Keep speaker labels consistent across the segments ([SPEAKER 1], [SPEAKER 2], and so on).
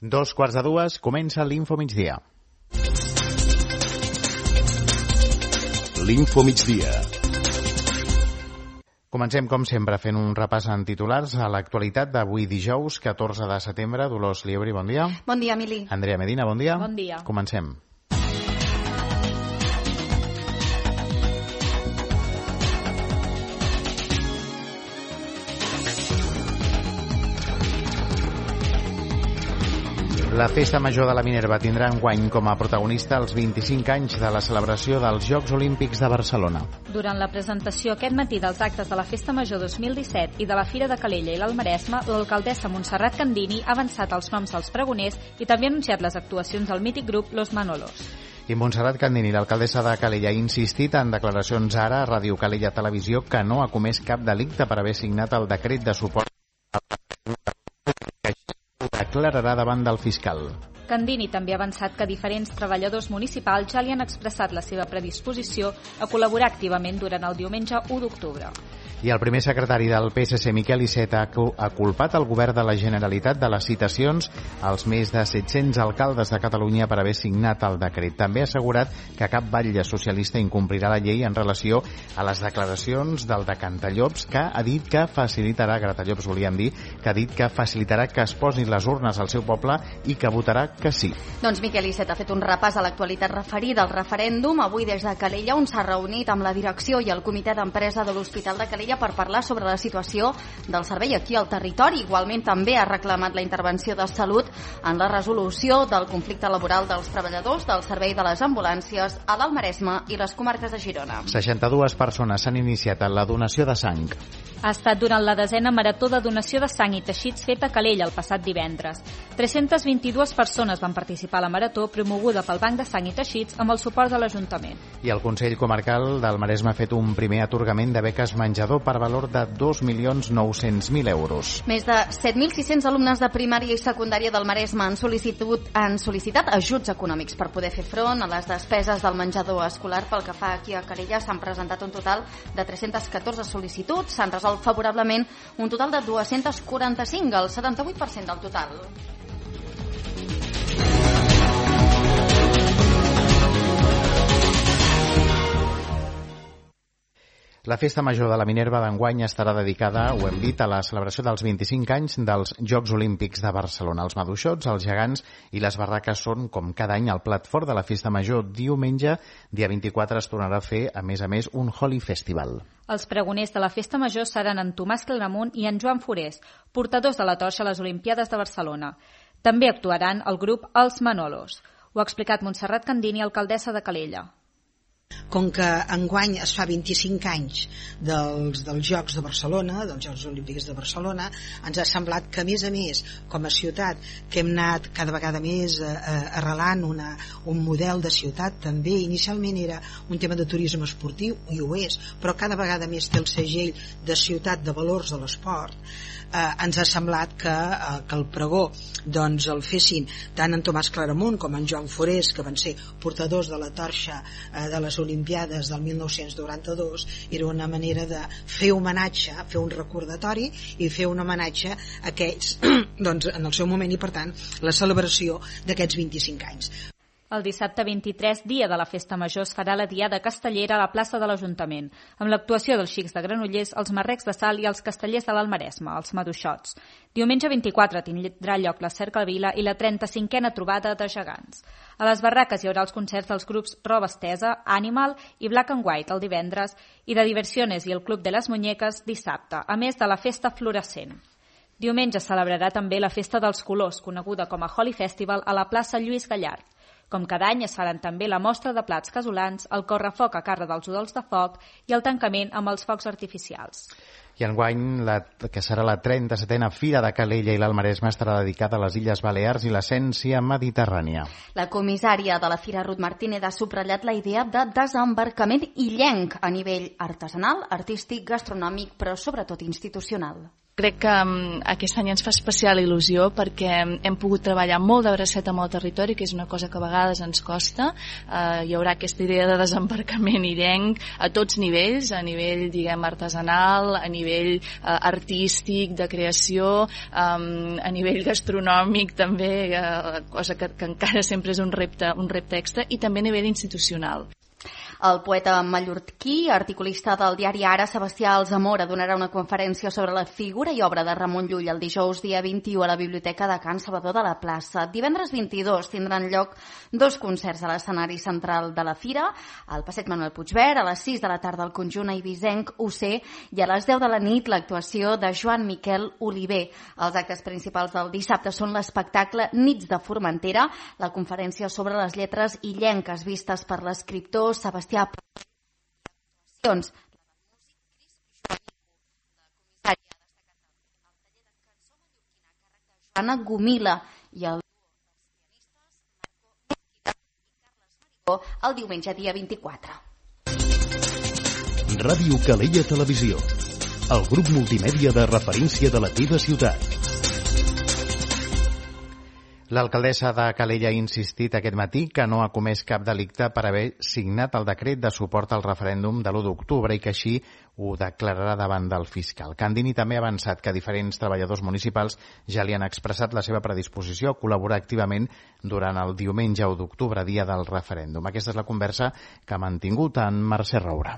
[SPEAKER 1] 2:45, comença l'Info Migdia.
[SPEAKER 2] L'Info Migdia.
[SPEAKER 1] Comencem, com sempre, fent un repàs en titulars a l'actualitat d'avui dijous, 14 de setembre. Dolors Liebri, bon dia.
[SPEAKER 3] Bon dia, Emili.
[SPEAKER 1] Andrea Medina, bon dia.
[SPEAKER 4] Bon dia.
[SPEAKER 1] Comencem. La Festa Major de la Minerva tindrà enguany com a protagonista els 25 anys de la celebració dels Jocs Olímpics de Barcelona.
[SPEAKER 4] Durant la presentació aquest matí dels actes de la Festa Major 2017 i de la Fira de Calella i l'Almaresme, l'alcaldessa Montserrat Candini ha avançat els noms dels pregoners i també ha anunciat les actuacions del mític grup Los Manolos.
[SPEAKER 1] I Montserrat Candini, l'alcaldessa de Calella, ha insistit en declaracions ara a Ràdio Calella Televisió que no ha comès cap delicte per haver signat el decret de suport que declararà davant del fiscal.
[SPEAKER 4] Candini també ha avançat que diferents treballadors municipals ja li han expressat la seva predisposició a col·laborar activament durant el diumenge 1 d'octubre.
[SPEAKER 1] I el primer secretari del PSC, Miquel Iceta, ha culpat el govern de la Generalitat de les citacions als més de 700 alcaldes de Catalunya per haver signat el decret. També ha assegurat que cap batlle socialista incomplirà la llei en relació a les declaracions del de Cantallops, que ha dit que facilitarà, Gratallops volíem dir, que ha dit que facilitarà que es posin les urnes al seu poble i que votarà que sí.
[SPEAKER 3] Doncs Miquel Iceta ha fet un repàs a l'actualitat referida al referèndum. Avui des de Calella, on s'ha reunit amb la direcció i el comitè d'empresa de l'Hospital de Calella per parlar sobre la situació del servei aquí al territori. Igualment també ha reclamat la intervenció de Salut en la resolució del conflicte laboral dels treballadors del servei de les ambulàncies a l'Almaresme i les comarques de Girona.
[SPEAKER 1] 62 persones s'han iniciat en la donació de sang.
[SPEAKER 4] Ha estat durant la 10ª marató de donació de sang i teixits feta a Calella el passat divendres. 322 persones van participar a la marató promoguda pel Banc de Sang i Teixits amb el suport de l'Ajuntament.
[SPEAKER 1] I el Consell Comarcal del Maresme ha fet un primer atorgament de beques menjador per valor de 2.900.000 euros.
[SPEAKER 3] Més de 7.600 alumnes de primària i secundària del Maresme han sol·licitat ajuts econòmics per poder fer front a les despeses del menjador escolar. Pel que fa aquí a Calella s'han presentat un total de 314 sol·licituds, s'han resolt favorablement un total de 245, el 78% del total.
[SPEAKER 1] La Festa Major de la Minerva d'enguany estarà dedicada, ho hem dit, a la celebració dels 25 anys dels Jocs Olímpics de Barcelona. Els maduixots, els gegants i les barraques són, com cada any, el plat fort de la Festa Major. Diumenge, dia 24, es tornarà a fer, a més, un Holy Festival.
[SPEAKER 4] Els pregoners de la Festa Major seran en Tomàs Claramunt i en Joan Forés, portadors de la torxa a les Olimpiades de Barcelona. També actuaran el grup Els Manolos. Ho ha explicat Montserrat Candini, alcaldessa de Calella.
[SPEAKER 5] Com que enguany es fa 25 anys dels Jocs de Barcelona, dels Jocs Olímpics de Barcelona, ens ha semblat que, a més, com a ciutat, que hem anat cada vegada més arrelant un model de ciutat, també inicialment era un tema de turisme esportiu, i ho és, però cada vegada més té el segell de ciutat de valors de l'esport. Ens ha semblat que el pregó doncs el fessin tant en Tomàs Claramunt com en Joan Forés, que van ser portadors de la torxa de les Olimpiades del 1992. Era una manera de fer homenatge, fer un recordatori i fer un homenatge a aquests doncs, en el seu moment, i per tant la celebració d'aquests 25 anys.
[SPEAKER 4] El dissabte 23, dia de la Festa Major, es farà la Diada Castellera a la plaça de l'Ajuntament, amb l'actuació dels xics de Granollers, els marrecs de Sal i els castellers de l'Almaresme, els maduixots. Diumenge 24 tindrà lloc la Cercavila i la 35a trobada de gegants. A les barraques hi haurà els concerts dels grups Roba Estesa, Animal i Black and White el divendres i de Diversiones i el Club de les Muñeques dissabte, a més de la Festa Fluorescent. Diumenge es celebrarà també la Festa dels Colors, coneguda com a Holy Festival, a la plaça Lluís Gallard. Com cada any es faran també la mostra de plats casolans, el correfoc a càrrec dels udols de foc i el tancament amb els focs artificials.
[SPEAKER 1] I enguany, que serà la 37a Fira de Calella i l'Almaresme, estarà dedicada a les Illes Balears i l'essència mediterrània.
[SPEAKER 3] La comissària de la Fira, Ruth Martínez, ha subratllat la idea de desembarcament illenc a nivell artesanal, artístic, gastronòmic, però sobretot institucional.
[SPEAKER 2] Crec que aquest any ens fa especial il·lusió perquè hem pogut treballar molt de bracet amb el territori, que és una cosa que a vegades ens costa. Hi haurà aquesta idea de desembarcament illenc a tots nivells, a nivell, diguem, artesanal, a nivell artístic, de creació, a nivell gastronòmic també, cosa que encara sempre és un repte extra, i també a nivell institucional.
[SPEAKER 3] El poeta mallorquí, articulista del diari Ara, Sebastià Alsamora, donarà una conferència sobre la figura i obra de Ramon Llull el dijous dia 21 a la Biblioteca de Can Salvador de la Plaça. Divendres 22 tindran lloc 2 concerts a l'escenari central de la Fira, al Passeig Manuel Puigverd, a les 6 de la tarda al conjunt eivissenc UC i a les 10 de la nit l'actuació de Joan Miquel Oliver. Els actes principals del dissabte són l'espectacle Nits de Formentera, la conferència sobre les lletres illenques vistes per l'escriptor Sebastià Joana Gomila i el el diumenge dia 24.
[SPEAKER 6] Ràdio Calella Televisió, el grup multimèdia de referència de la teva ciutat.
[SPEAKER 1] L'alcaldessa de Calella ha insistit aquest matí que no ha comès cap delicte per haver signat el decret de suport al referèndum de l'1 d'octubre i que així ho declararà davant del fiscal. Candini també ha avançat que diferents treballadors municipals ja li han expressat la seva predisposició a col·laborar activament durant el diumenge 1 d'octubre, dia del referèndum. Aquesta és la conversa que ha mantingut en Mercè Roura.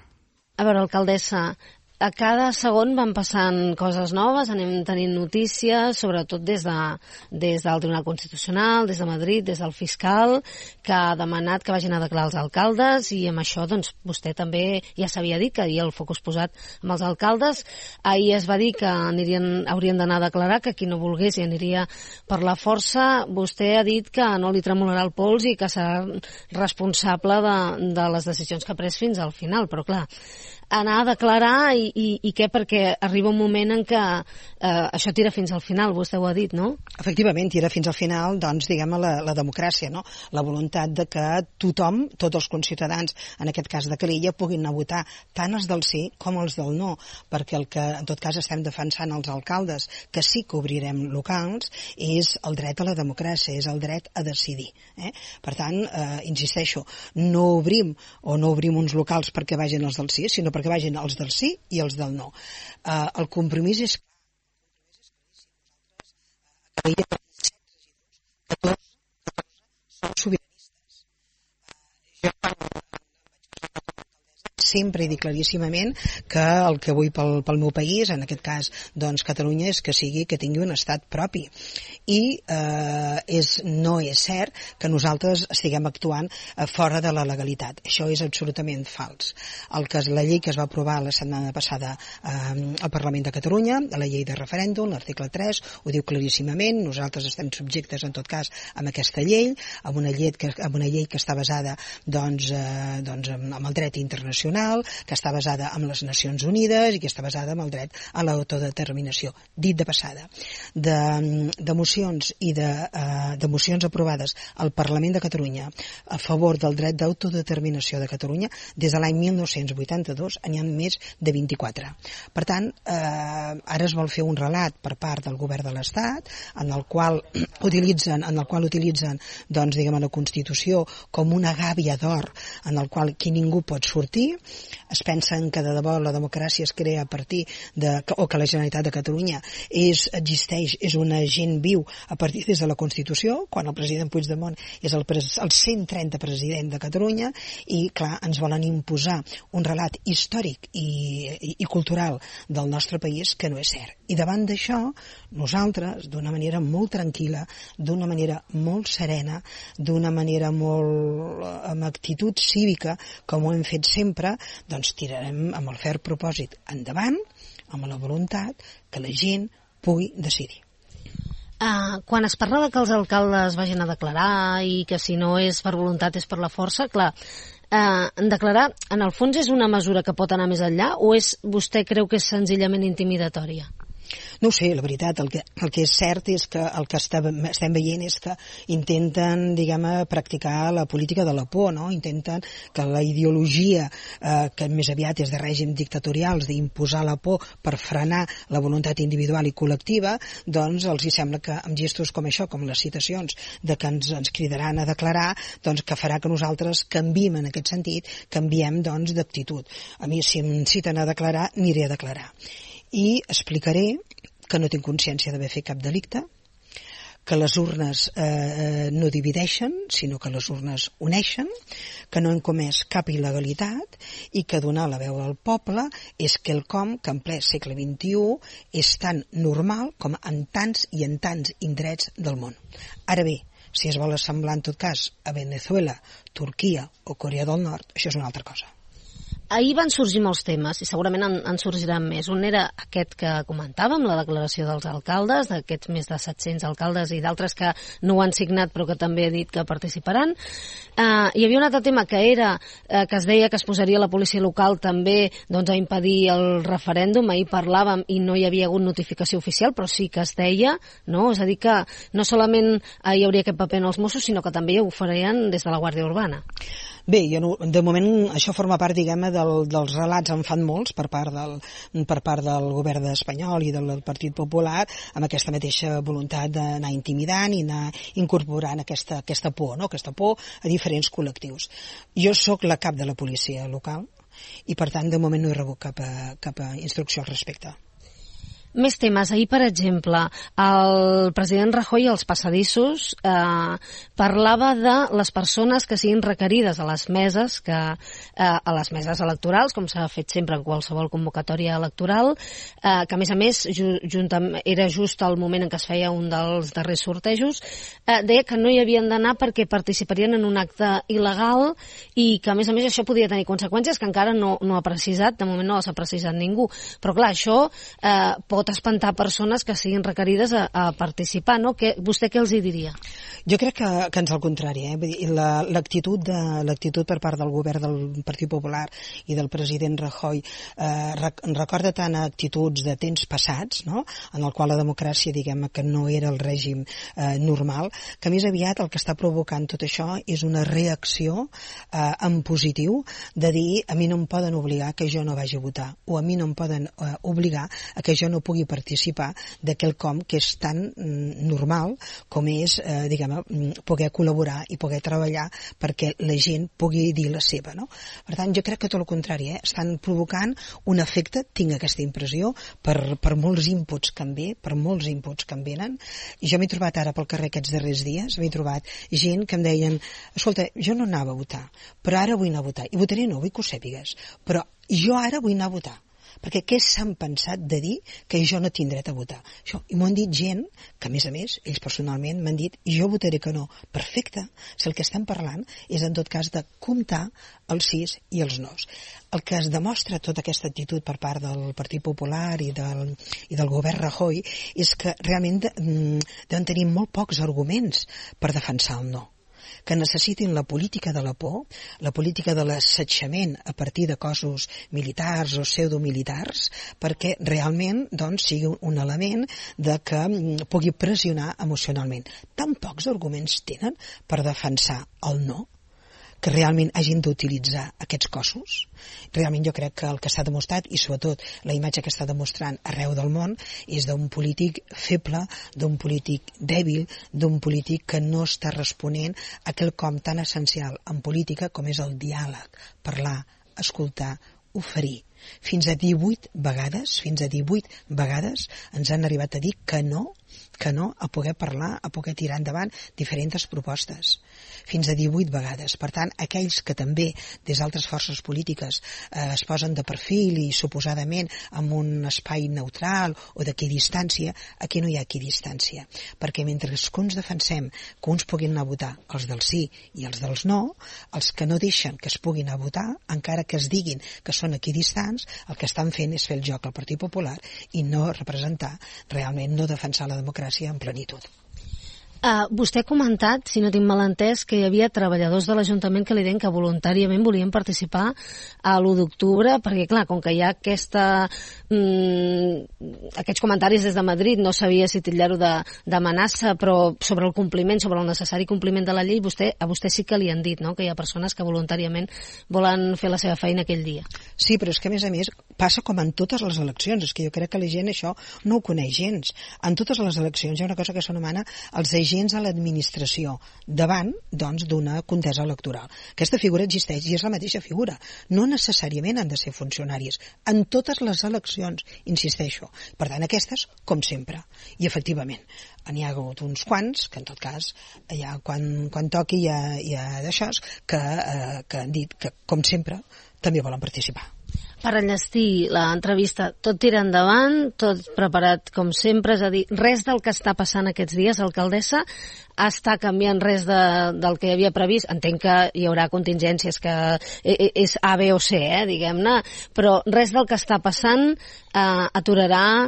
[SPEAKER 7] A veure, alcaldessa, a cada segon van passant coses noves, anem tenint notícies, sobretot des del Tribunal Constitucional, des de Madrid, des del fiscal, que ha demanat que vagin a declarar els alcaldes, i amb això doncs, vostè també ja s'havia dit que hi havia el focus posat amb els alcaldes. Ahir es va dir que haurien d'anar a declarar, que qui no volgués hi aniria per la força. Vostè ha dit que no li tremolarà el pols i que serà responsable de les decisions que ha pres fins al final, però clar, anar a declarar i què? Perquè arriba un moment en què això tira fins al final, vostè ho ha dit, no?
[SPEAKER 5] Efectivament, tira fins al final, doncs, diguem, la democràcia, no? La voluntat de que tothom, tots els conciutadans, en aquest cas de Calella, puguin anar a votar, tant els del sí com els del no, perquè el que, en tot cas, estem defensant els alcaldes, que sí que obrirem locals, és el dret a la democràcia, és el dret a decidir. Per tant, insisteixo, no obrim uns locals perquè vagin els del sí, sinó perquè vagin els del sí i els del no. El compromís és clar. Nosaltres, a Calella, 14 som sobiranistes. Jo sempre he dit claríssimament que el que vull pel meu país, en aquest cas doncs Catalunya, és que tingui un estat propi. I no és cert que nosaltres estiguem actuant fora de la legalitat. Això és absolutament fals. La llei que es va aprovar la setmana passada al Parlament de Catalunya, la llei de referèndum, l'article 3, ho diu claríssimament. Nosaltres estem subjectes, en tot cas, amb aquesta llei, amb una llei que està basada doncs, amb el dret internacional, que està basada en les Nacions Unides i que està basada en el dret a l'autodeterminació. Dit de passada, de mocions i de mocions aprovades al Parlament de Catalunya a favor del dret d'autodeterminació de Catalunya, des de l'any 1982 n'hi ha més de 24. Per tant, ara es vol fer un relat per part del govern de l'Estat en el qual utilitzen doncs, diguem, la Constitució com una gàbia d'or en el qual ningú pot sortir. Es pensen que de debò la democràcia es crea a partir o que la Generalitat de Catalunya existeix, és un agent viu a partir des de la Constitució, quan el president Puigdemont és el 130 president de Catalunya, i clar, ens volen imposar un relat històric i cultural del nostre país que no és cert. I davant d'això, nosaltres, d'una manera molt tranquil·la, d'una manera molt serena, d'una manera molt amb actitud cívica, com ho hem fet sempre, doncs tirarem amb el ferm propòsit endavant, amb la voluntat que la gent pugui decidir.
[SPEAKER 7] Quan es parla de que els alcaldes vagin a declarar i que si no és per voluntat és per la força, clar, declarar en el fons és una mesura que pot anar més enllà o vostè creu que és senzillament intimidatòria?
[SPEAKER 5] No ho sé, la veritat, el que és cert és que el que estem veient és que intenten, practicar la política de la por, no? Intenten que la ideologia, que més aviat és de règim dictatorials, d'imposar la por per frenar la voluntat individual i col·lectiva, doncs els hi sembla que amb gestos com això, com les citacions de que ens cridaran a declarar, doncs que farà que nosaltres canviem en aquest sentit, canviem doncs d'actitud. A mi, si em citen a declarar, aniré a declarar. I explicaré que no tinc consciència d'haver fet cap delicte, que les urnes no divideixen, sinó que les urnes uneixen, que no hem comès cap il·legalitat i que donar la veu al poble és quelcom que en ple segle XXI és tan normal com en tants i en tants indrets del món. Ara bé, si es vol assemblar en tot cas a Venezuela, Turquia o Corea del Nord, això és una altra cosa.
[SPEAKER 7] Ahir van sorgir molts temes i segurament en sorgiran més. Un era aquest que comentàvem, la declaració dels alcaldes, d'aquests més de 700 alcaldes i d'altres que no ho han signat però que també he dit que participaran. Hi havia un altre tema que era que es deia que es posaria la policia local també doncs, a impedir el referèndum. Ahir parlàvem i no hi havia hagut notificació oficial, però sí que es deia, no? És a dir que no solament hi hauria aquest paper en els Mossos, sinó que també ho farien des de la Guàrdia Urbana.
[SPEAKER 5] Bé, de moment això forma part, dels relats, en fan molts per part del govern espanyol i del Partit Popular, amb aquesta mateixa voluntat d'anar intimidant i anar incorporant aquesta por, no? Aquesta por a diferents col·lectius. Jo sóc la cap de la policia local i per tant de moment no he rebut cap instrucció al respecte.
[SPEAKER 7] Més temes. Ahir, per exemple, el president Rajoy als passadissos parlava de les persones que siguin requerides a les meses electorals, com s'ha fet sempre en qualsevol convocatòria electoral, que a més era just el moment en què es feia un dels darrers sortejos, deia que no hi havien d'anar perquè participarien en un acte il·legal i que a més això podia tenir conseqüències que encara no ha precisat, de moment no les ha precisat ningú. Però clar, això pot espantar persones que siguin requerides a participar, no? Vostè què els hi diria?
[SPEAKER 5] Jo crec que ens al contrari, Vull dir, l'actitud per part del govern del Partit Popular i del president Rajoy recorda tant actituds de temps passats, no? En el qual la democràcia, que no era el règim normal, que més aviat el que està provocant tot això és una reacció en positiu de dir a mi no em poden obligar que jo no vagi a votar o a mi no em poden obligar a que jo no pugui participar de quelcom que és tan normal com és, poder col·laborar i poder treballar perquè la gent pugui dir la seva, no? Per tant, jo crec que tot el contrari, estan provocant un efecte, tinc aquesta impressió, per molts inputs que em venen, i jo m'he trobat ara pel carrer aquests darrers dies, m'he trobat gent que em deien, escolta, jo no anava a votar, però ara vull anar a votar, i votaré no, vull que ho sàpigues, però jo ara vull anar a votar, perquè què s'han pensat de dir que jo no tinc dret a votar? Això. I m'ho han dit gent que, a més, ells personalment m'han dit jo votaré que no. Perfecte. Si el que estem parlant és, en tot cas, de comptar els sís i els nos. El que es demostra tota aquesta actitud per part del Partit Popular i del govern Rajoy és que realment deuen tenir molt pocs arguments per defensar el no, que necessitin la política de la por, la política de l'assetjament a partir de cossos militars o pseudomilitars, perquè realment sigui un element de que pugui pressionar emocionalment. Tan pocs arguments tenen per defensar el no, que realment hagin d'utilitzar aquests cossos. Realment jo crec que el que s'ha demostrat, i sobretot la imatge que està demostrant arreu del món, és d'un polític feble, d'un polític dèbil, d'un polític que no està responent a quelcom tan essencial en política com és el diàleg, parlar, escoltar, oferir. Fins a 18 vegades ens han arribat a dir que no a poder parlar, a poder tirar endavant diferents propostes. Fins a 18 vegades. Per tant, aquells que també des d'altres forces polítiques es posen de perfil i suposadament en un espai neutral o d'equidistància, aquí no hi ha equidistància. Perquè mentre que uns defensem que uns puguin anar a votar, els del sí i els dels no, els que no deixen que es puguin anar a votar, encara que es diguin que són equidistants, el que estan fent és fer el joc al Partit Popular i no representar, realment no defensar la democràcia en plenitud.
[SPEAKER 7] Vostè ha comentat, si no tinc mal entès, que hi havia treballadors de l'Ajuntament que li deien que voluntàriament volien participar a l'1 d'octubre, perquè clar, com que hi ha aquests comentaris des de Madrid, no sabia si titllar-ho d'amenaça, però sobre el compliment, sobre el necessari compliment de la llei, a vostè sí que li han dit, no?, que hi ha persones que voluntàriament volen fer la seva feina aquell dia.
[SPEAKER 5] Sí, però és que a més passa com en totes les eleccions, és que jo crec que la gent això no ho coneix gens. En totes les eleccions hi ha una cosa que s'anomena els agents a l'administració davant, doncs, d'una contesa electoral. Aquesta figura existeix i és la mateixa figura. No necessàriament han de ser funcionaris. En totes les eleccions, insisteixo. Per tant, aquestes, com sempre. I efectivament, n'hi ha hagut uns quants, que en tot cas, ja quan toqui hi ha d'això, que han dit que, com sempre, també volen participar.
[SPEAKER 7] Per enllestir l'entrevista, tot tira endavant, tot preparat com sempre, és a dir, res del que està passant aquests dies, alcaldessa, està canviant res del que hi havia previst. Entenc que hi haurà contingències, que és A, B o C, diguem-ne, però res del que està passant aturarà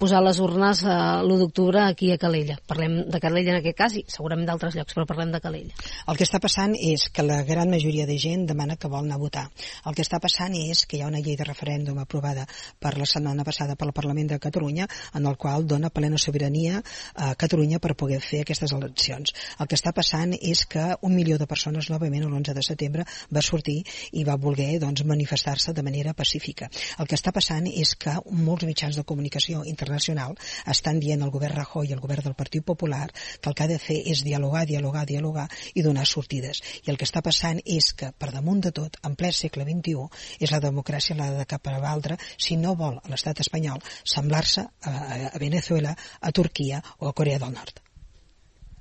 [SPEAKER 7] posar les urnes l'1 d'octubre aquí a Calella. Parlem de Calella en aquest cas i segurament d'altres llocs, però parlem de Calella.
[SPEAKER 5] El que està passant és que la gran majoria de gent demana que vol anar a votar. El que està passant és que hi ha una llei de referèndum aprovada per la setmana passada pel Parlament de Catalunya, en el qual dona plena sobirania a Catalunya per poder fer aquestes eleccions. El que està passant és que 1 milió de persones novament l'11 de setembre va sortir i va voler manifestar-se de manera pacífica. El que està passant és que molts mitjans de comunicació internacional estan dient al govern Rajoy i al govern del Partit Popular que el que ha de fer és dialogar i donar sortides. I el que està passant és que, per damunt de tot, en ple segle XXI, és la democràcia la de cap a l'altra si no vol l'estat espanyol semblar-se a Venezuela, a Turquia o a Corea del Nord.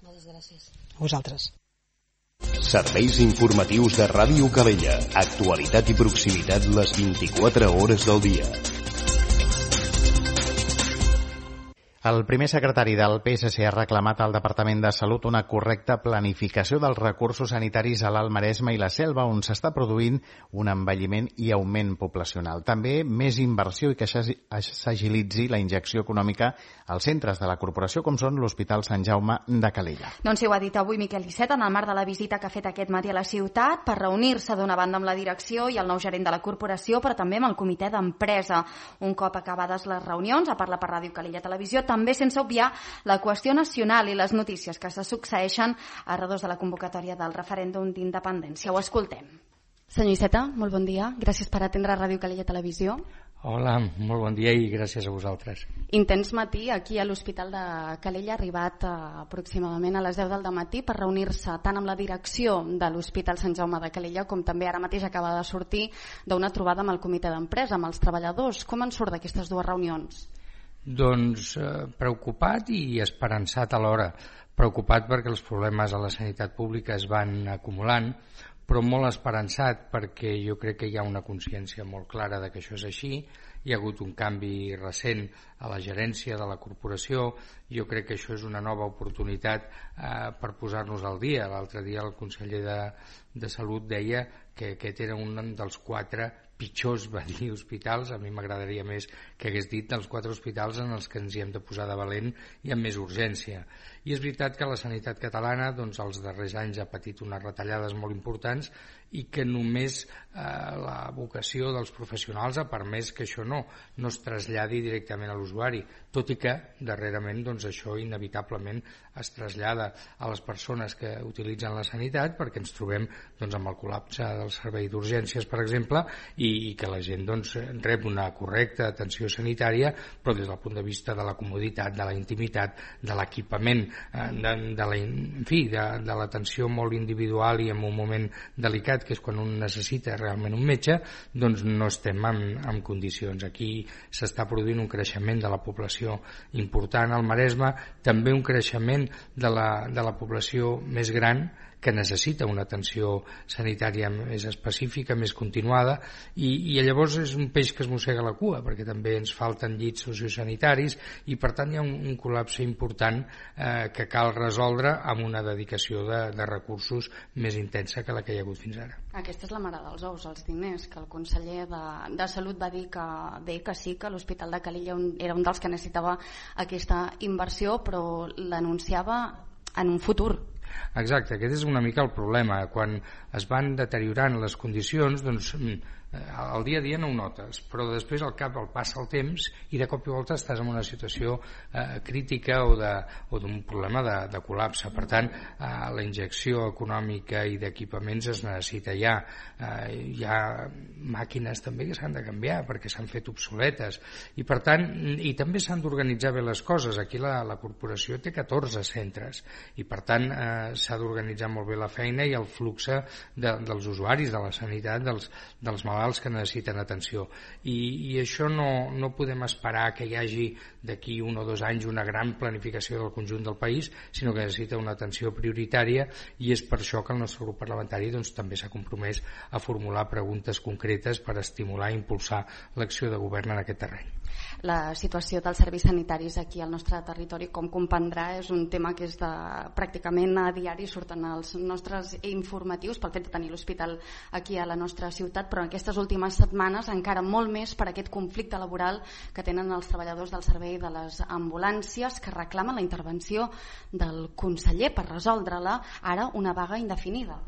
[SPEAKER 7] Moltes gràcies.
[SPEAKER 5] A vosaltres.
[SPEAKER 6] Serveis informatius de Ràdio Calella. Actualitat i proximitat les 24 hores del dia.
[SPEAKER 1] El primer secretari del PSC ha reclamat al Departament de Salut una correcta planificació dels recursos sanitaris a l'Alt Maresme i la Selva, on s'està produint un envelliment i augment poblacional. També més inversió i que s'agilitzi la injecció econòmica als centres de la corporació, com són l'Hospital Sant Jaume de Calella.
[SPEAKER 3] Doncs sí, ho ha dit avui Miquel Iceta en el marc de la visita que ha fet aquest matí a la ciutat per reunir-se d'una banda amb la direcció i el nou gerent de la corporació, però també amb el comitè d'empresa. Un cop acabades les reunions, a parlar per Ràdio Calella Televisió, també sense obviar la qüestió nacional i les notícies que se succeeixen a redós de la convocatòria del referèndum d'independència. Ho escoltem. Senyor Iceta, molt bon dia. Gràcies per atendre Ràdio Calella Televisió.
[SPEAKER 8] Hola, molt bon dia i gràcies a vosaltres.
[SPEAKER 3] Intens matí aquí a l'Hospital de Calella, arribat aproximadament a les 10 del matí per reunir-se tant amb la direcció de l'Hospital Sant Jaume de Calella com també ara mateix acaba de sortir d'una trobada amb el comitè d'empresa, amb els treballadors. Com en surt d'aquestes dues reunions?
[SPEAKER 8] Doncs preocupat i esperançat alhora. Preocupat perquè els problemes a la sanitat pública es van acumulant, però molt esperançat perquè jo crec que hi ha una consciència molt clara de que això és així. Hi ha hagut un canvi recent a la gerència de la corporació. Jo crec que això és una nova oportunitat per posar-nos al dia. L'altre dia el conseller de Salut deia que aquest era un dels 4 pitjors, va dir, hospitals. A mi m'agradaria més que hagués dit dels 4 hospitals en els que ens hi hem de posar de valent i amb més urgència. I és veritat que la sanitat catalana doncs, els darrers anys ha patit unes retallades molt importants i que només la vocació dels professionals ha permès que això no es traslladi directament a l'usuari, tot i que darrerament doncs, això inevitablement es trasllada a les persones que utilitzen la sanitat, perquè ens trobem doncs, amb el col·lapse del servei d'urgències, per exemple, i que la gent doncs, rep una correcta atenció sanitària, però des del punt de vista de la comoditat, de la intimitat, de l'equipament, de l'atenció molt individual i en un moment delicat, que és quan un necessita realment un metge, doncs no estem en condicions. Aquí s'està produint un creixement de la població important al Maresme, també un creixement de la població més gran que necessita una atenció sanitària més específica, més continuada, i llavors és un peix que es mossega la cua, perquè també ens falten llits sociosanitaris i per tant hi ha un col·lapse important que cal resoldre amb una dedicació de recursos més intensa que la que hi ha hagut fins ara.
[SPEAKER 3] Aquesta és la mare dels ous, els diners, que el conseller de Salut va dir que sí, que l'Hospital de Calella era un dels que necessitava aquesta inversió, però l'anunciava en un futur.
[SPEAKER 8] Exacte, aquest és una mica el problema. Quan es van deteriorant les condicions, doncs al dia a dia no ho notes, però després al cap passa el temps i de cop i volta estàs en una situació crítica o d'un problema de col·lapse. Per tant, la injecció econòmica i d'equipaments es necessita ja. Hi ha màquines també que s'han de canviar perquè s'han fet obsoletes i per tant, i també s'han d'organitzar bé les coses. Aquí la corporació té 14 centres i per tant s'ha d'organitzar molt bé la feina i el flux dels usuaris de la sanitat, dels malalts que necessiten atenció, i això no podem esperar que hi hagi d'aquí 1 o 2 anys una gran planificació del conjunt del país, sinó que necessita una atenció prioritària, i és per això que el nostre grup parlamentari també s'ha compromès a formular preguntes concretes per estimular i impulsar l'acció de govern en aquest terreny.
[SPEAKER 3] La situació dels serveis sanitaris aquí al nostre territori, com comprendrà, és un tema que és pràcticament a diari, surten els nostres informatius pel fet de tenir l'hospital aquí a la nostra ciutat, però en aquestes últimes setmanes encara molt més per aquest conflicte laboral que tenen els treballadors del servei de les ambulàncies, que reclamen la intervenció del conseller per resoldre-la, ara una vaga indefinida.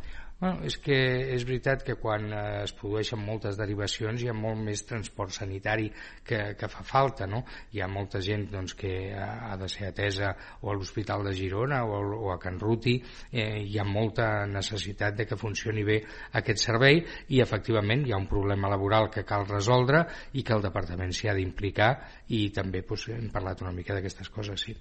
[SPEAKER 8] Bueno, és que és veritat que quan es produeixen moltes derivacions hi ha molt més transport sanitari que fa falta, no? Hi ha molta gent que ha de ser atesa o a l'Hospital de Girona o a Can Ruti, hi ha molta necessitat de que funcioni bé aquest servei i efectivament hi ha un problema laboral que cal resoldre i que el departament s'hi ha d'implicar, i també hem parlat una mica d'aquestes coses, sí.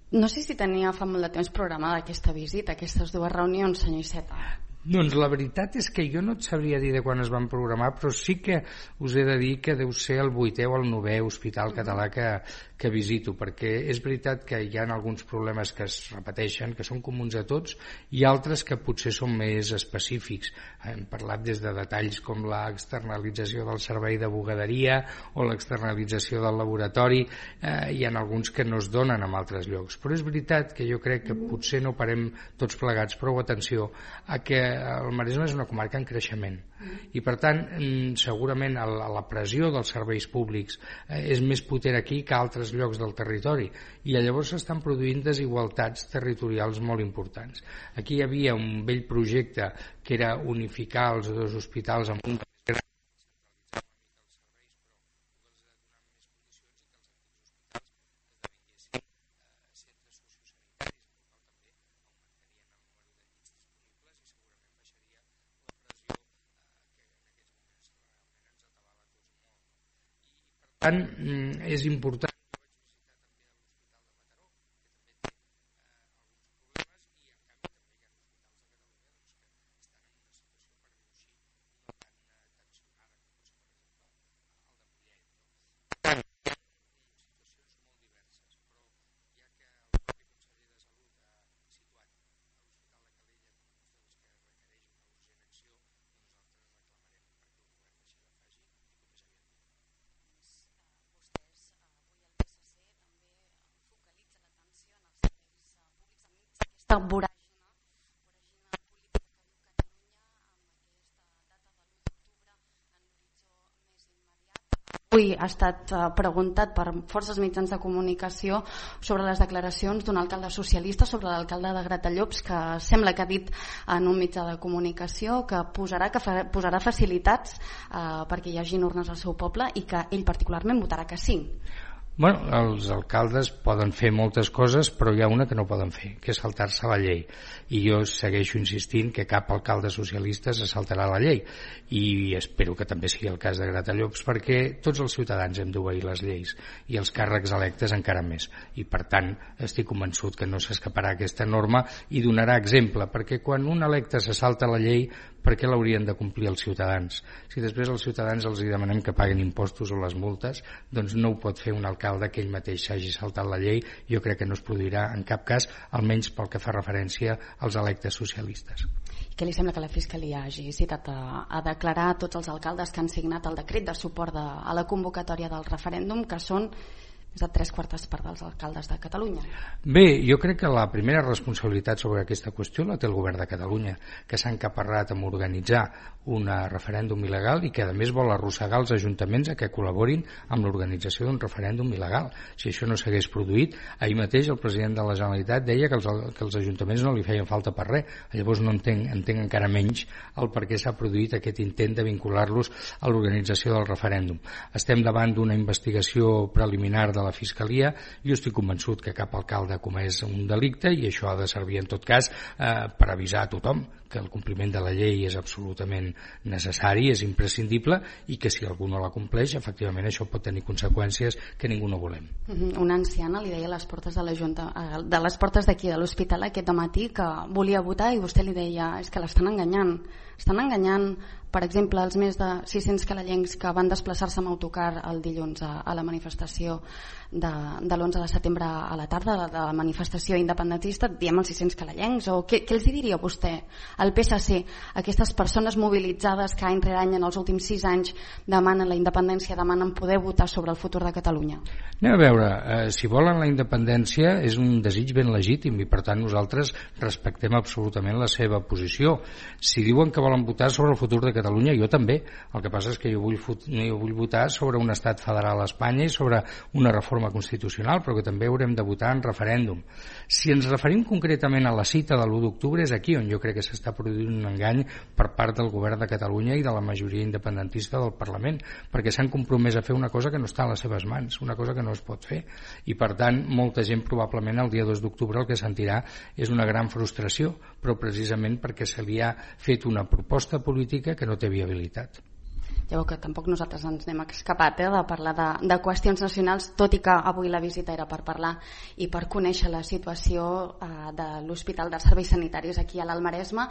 [SPEAKER 3] No sé si tenia fa molt de temps programada aquesta visita, aquestes 2 reunions, senyor Iceta.
[SPEAKER 8] Doncs la veritat és que jo no et sabria dir de quan es van programar, però sí que us he de dir que deu ser el 8è o el 9è hospital català que visito, perquè és veritat que hi ha alguns problemes que es repeteixen, que són comuns a tots, i altres que potser són més específics. Hem parlat des de detalls com l'externalització del servei de bugaderia o l'externalització del laboratori. Hi ha alguns que no es donen en altres llocs, però és veritat que jo crec que potser no parem tots plegats prou atenció a que el Maresme és una comarca en creixement i per tant segurament la pressió dels serveis públics és més potent aquí que a altres llocs del territori, i llavors s'estan produint desigualtats territorials molt importants. Aquí hi havia un vell projecte que era unificar els 2 hospitals en un gran tant, és important.
[SPEAKER 3] Voràgina política que viu Catalunya amb aquesta data de l'1 d'octubre en l'horitzó més immediat. Avui ha estat preguntat per forces mitjans de comunicació sobre les declaracions d'un alcalde socialista sobre l'alcalde de Gratallops, que sembla que ha dit en un mitjà de comunicació que posarà facilitats perquè hi hagin urnes al seu poble i que ell particularment votarà que sí.
[SPEAKER 8] Bueno, els alcaldes poden fer moltes coses, però hi ha una que no poden fer, que és saltar-se la llei. I jo segueixo insistint que cap alcalde socialista se saltarà la llei. I espero que també sigui el cas de Gratallops, perquè tots els ciutadans hem d'obeir les lleis, i els càrrecs electes encara més. I per tant, estic convençut que no s'escaparà aquesta norma i donarà exemple, perquè quan un electe se salta la llei, per què l'haurien de complir els ciutadans? Si després als ciutadans els demanem que paguen impostos o les multes, doncs no ho pot fer un alcalde que ell mateix s'hagi saltat la llei. Jo crec que no es produirà en cap cas, almenys pel que fa referència als electes socialistes.
[SPEAKER 9] Què li sembla que la Fiscalia hagi citat a declarar tots els alcaldes que han signat el decret de suport a la convocatòria del referèndum, que són més de 3/4 dels alcaldes de Catalunya?
[SPEAKER 8] Bé, jo crec que la primera responsabilitat sobre aquesta qüestió la té el govern de Catalunya, que s'ha encaparrat amb organitzar un referèndum il·legal i que a més vol arrossegar els ajuntaments a que col·laborin amb l'organització d'un referèndum il·legal. Si això no s'hagués produït, ahir mateix el president de la Generalitat deia que els ajuntaments no li feien falta per res. Llavors no entenc encara menys el per què s'ha produït aquest intent de vincular-los a l'organització del referèndum. Estem davant d'una investigació preliminar de la Fiscalia. Jo estic convençut que cap alcalde ha comès un delicte i això ha de servir en tot cas per avisar a tothom que el compliment de la llei és absolutament necessari, és imprescindible i que si algú no la compleix, efectivament això pot tenir conseqüències que ningú no volem.
[SPEAKER 9] Una anciana li deia a les portes de la Junta, de les portes d'aquí de l'hospital aquest matí, que volia votar i vostè li deia és que l'estan enganyant. Estan enganyant, per exemple, els més de 600 calellencs que van desplaçar-se amb autocar el dilluns a la manifestació de l'11 de setembre a la tarda, de la manifestació independentista, diem els 600 calellencs, o què els diria vostè al PSC, aquestes persones mobilitzades que any rere any en els últims 6 anys demanen la independència, demanen poder votar sobre el futur de Catalunya?
[SPEAKER 8] Anem a veure, si volen la independència és un desig ben legítim i per tant nosaltres respectem absolutament la seva posició. Si diuen que volen votar sobre el futur de Catalunya, jo també. El que passa és que jo vull votar sobre un estat federal a Espanya i sobre una reforma constitucional, però que també haurem de votar en referèndum. Si ens referim concretament a la cita de l'1 d'octubre, és aquí on jo crec que s'està produint un engany per part del govern de Catalunya i de la majoria independentista del Parlament, perquè s'han compromès a fer una cosa que no està a les seves mans, una cosa que no es pot fer, i per tant molta gent probablement el dia 2 d'octubre el que sentirà és una gran frustració, però precisament perquè se li ha fet una proposta política que no té viabilitat.
[SPEAKER 9] Ja veu que tampoc nosaltres ens n'hem escapat de parlar de qüestions nacionals, tot i que avui la visita era per parlar i per conèixer la situació de l'Hospital de Serveis Sanitaris aquí a l'Almaresme,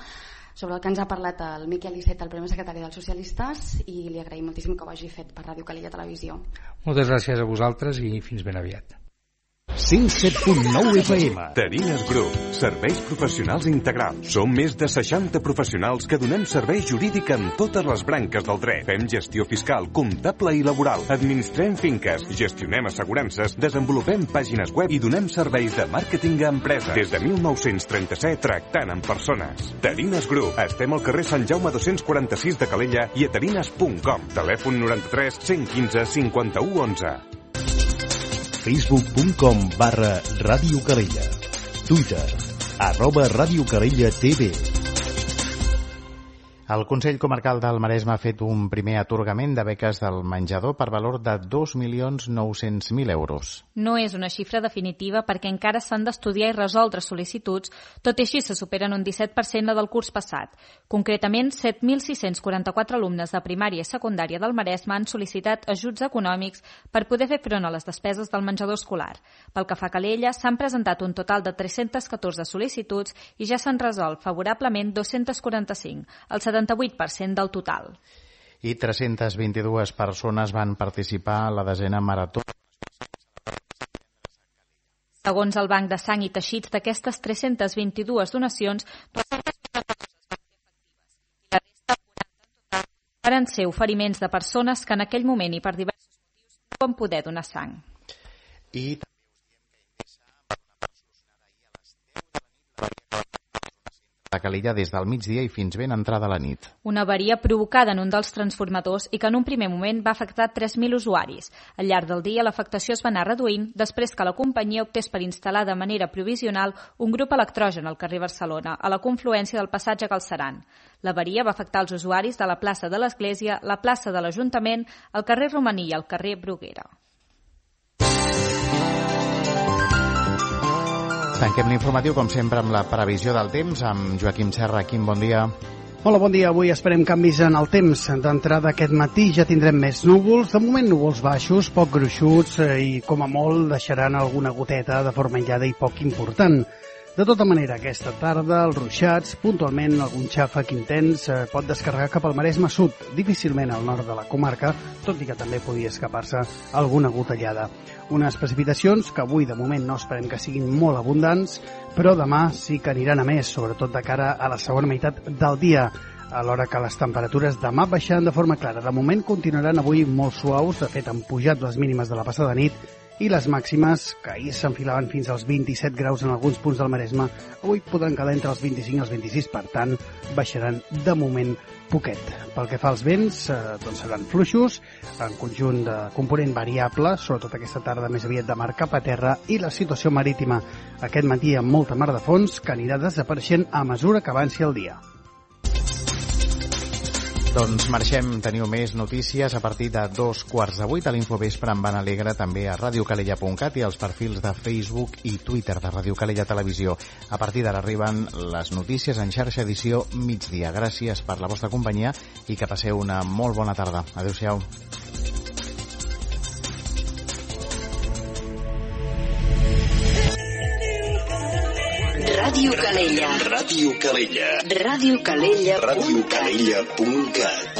[SPEAKER 9] sobre el que ens ha parlat el Miquel Iceta, el primer secretari dels Socialistes, i li agraïm moltíssim que ho hagi fet per Ràdio Calella Televisió.
[SPEAKER 8] Moltes gràcies a vosaltres i fins ben aviat.
[SPEAKER 6] 107.9 FM. Terines Group. Serveis professionals integrals. Som més de 60 professionals que donem servei jurídic en totes les branques del dret. Fem gestió fiscal, comptable i laboral. Administrem finques, gestionem assegurances, desenvolupem pàgines web i donem serveis de màrqueting a empreses. Des de 1937 tractant amb persones. Terines Group. Estem al carrer Sant Jaume 246 de Calella i a terines.com. Telèfon 93 115 51 11. Facebook.com/Ràdio Calella. Twitter @Ràdio Calella TV.
[SPEAKER 1] El Consell Comarcal del Maresme ha fet un primer atorgament de beques del menjador per valor de 2.900.000 euros.
[SPEAKER 4] No és una xifra definitiva perquè encara s'han d'estudiar i resoldre sol·licituds, tot i així se superen un 17% la del curs passat. Concretament, 7.644 alumnes de primària i secundària del Maresme han sol·licitat ajuts econòmics per poder fer front a les despeses del menjador escolar. Pel que fa a Calella, s'han presentat un total de 314 sol·licituds i ja s'han resolt favorablement 245, el 78% del total.
[SPEAKER 1] I 322 persones van participar a la 10ª marató.
[SPEAKER 4] Segons el Banc de Sang i Teixits, d'aquestes 322 donacions, 242 van ser efectives i la resta, 40 en total, van ser oferiments de persones que en aquell moment i per diversos motius no van poder donar sang.
[SPEAKER 1] I també us diem que Ingressa va donar per solucionada ahir a les 10 de la nit de Calella des del migdia i fins ben entrada la nit.
[SPEAKER 4] Una avaria provocada en un dels transformadors i que en un primer moment va afectar 3.000 usuaris. Al llarg del dia l'afectació es va anar reduint després que la companyia optés per instal·lar de manera provisional un grup electrogen al carrer Barcelona, a la confluència del passatge Galceran. L'avaria va afectar els usuaris de la plaça de l'Església, la plaça de l'Ajuntament, el carrer Romaní i el carrer Bruguera.
[SPEAKER 1] Tanquem l'informatiu, com sempre, amb la previsió del temps, amb Joaquim Serra. Quim, bon dia.
[SPEAKER 10] Hola, bon dia. Avui esperem canvis en el temps. D'entrada aquest matí ja tindrem més núvols. De moment núvols baixos, poc gruixuts i com a molt deixaran alguna goteta de forma aïllada i poc important. De tota manera, aquesta tarda, els ruixats, puntualment algun xàfec intens, pot descarregar cap al Maresme Sud, difícilment al nord de la comarca, tot i que també podia escapar-se alguna gotellada. Unes precipitacions que avui, de moment, no esperem que siguin molt abundants, però demà sí que aniran a més, sobretot de cara a la segona meitat del dia, alhora que les temperatures demà baixaran de forma clara. De moment continuaran avui molt suaus, de fet han pujat les mínimes de la passada nit, i les màximes, que ahir s'enfilaven fins als 27 graus en alguns punts del Maresme, avui podran quedar entre els 25 i els 26, per tant, baixaran de moment poquet. Pel que fa als vents, doncs seran fluixos, en conjunt de component variable, sobretot aquesta tarda més aviat de mar cap a terra, i la situació marítima aquest matí amb molta mar de fons, que anirà desapareixent a mesura que avanci el dia.
[SPEAKER 1] Doncs marxem, teniu més notícies a partir de 7:15 a l'Infovespre amb Van Alegre, també a radiocalella.cat i als perfils de Facebook i Twitter de Ràdio Calella Televisió. A partir d'ara arriben les notícies en xarxa edició migdia. Gràcies per la vostra companyia i que passeu una molt bona tarda. Adéu-siau.
[SPEAKER 11] Ràdio Calella. Ràdio Calella. Ràdio Calella. Ràdio Calella.cat